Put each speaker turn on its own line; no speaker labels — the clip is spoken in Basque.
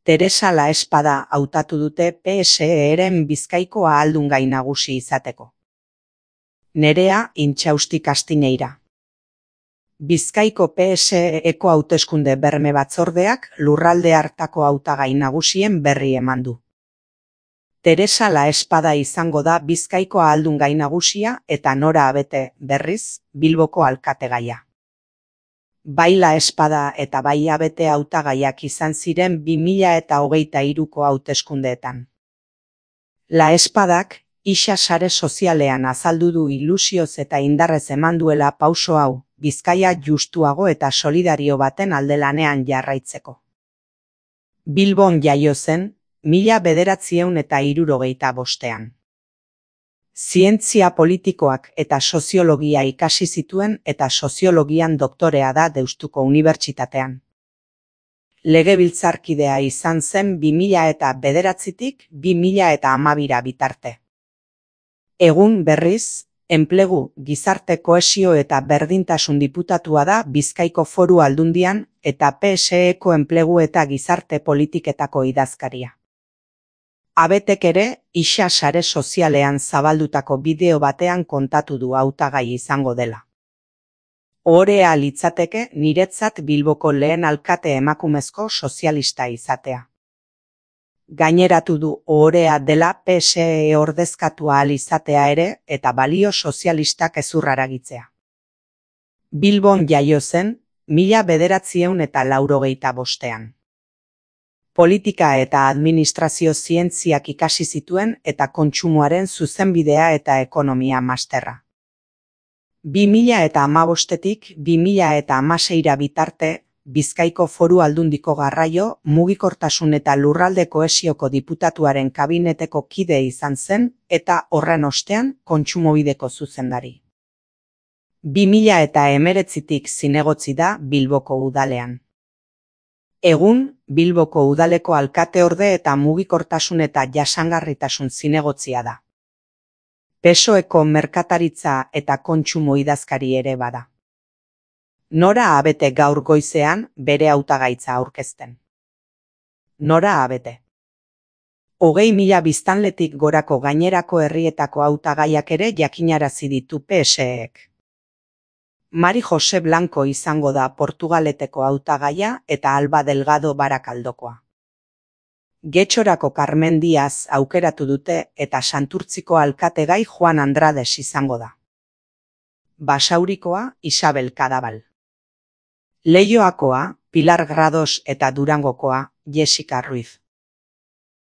Teresa Laespada hautatu dute PSE-ren Bizkaiko ahaldungai nagusi izateko. Nerea Intxausti Kastineira. Bizkaiko PSE-eko hauteskunde berme batzordeak lurralde hartako hautagai nagusien berri eman du. Teresa Laespada izango da Bizkaiko ahaldungai nagusia eta Nora Abete, berriz, Bilboko alkategaia. Bai Laespada eta bai Abete hautagaiak izan ziren 2023ko hauteskundeetan. Laespadak isa sare sozialean azaldu du ilusioz eta indarrez eman duela pauso hau, Bizkaia justuago eta solidario baten alde lanean jarraitzeko. Bilbon jaio zen, 1965. Zientzia politikoak eta soziologia ikasi zituen eta soziologian doktorea da Deustuko Unibertsitatean. Legebiltzarkidea izan zen 2009tik 2012 bitarte. Egun berriz, enplegu, gizarte kohesio eta berdintasun diputatua da Bizkaiko Foru Aldundian eta PSE-ko enplegu eta gizarte politiketako idazkaria. Abetek ere, isa sare sozialean zabaldutako bideo batean kontatu du hautagai izango dela. Ohorea litzateke niretzat Bilboko lehen alkate emakumezko sozialista izatea. Gaineratu du ohorea dela PSE ordezkatua ahal izatea ere eta balio sozialistak ezurraragitzea. Bilbon jaio zen, 1985. Politika eta administrazio zientziak ikasi zituen eta kontsumoaren zuzenbidea eta ekonomia masterra. 2015tik 2016 bitarte, Bizkaiko Foru Aldundiko garraio, mugikortasun eta lurralde kohesioko diputatuaren kabineteko kide izan zen eta horren ostean kontsumobideko zuzendari. 2019tik zinegotzi da Bilboko udalean. Egun, Bilboko udaleko alkateorde eta mugikortasun eta jasangarritasun zinegotzia da. PSOEko merkataritza eta kontsumo idazkari ere bada. Nora Abete gaur goizean bere hautagaitza aurkezten. Nora Abete. 20.000 biztanletik gorako gainerako herrietako hautagaiak ere jakinarazi ditu PSEek. Mari Jose Blanco izango da Portugaleteko hautagaia eta Alba Delgado Barakaldokoa. Getxorako Carmen Diaz aukeratu dute eta Santurtziko alkategai Juan Andrades izango da. Basaurikoa Isabel Kadabal. Leioakoa Pilar Grados eta Durangokoa Jessica Ruiz.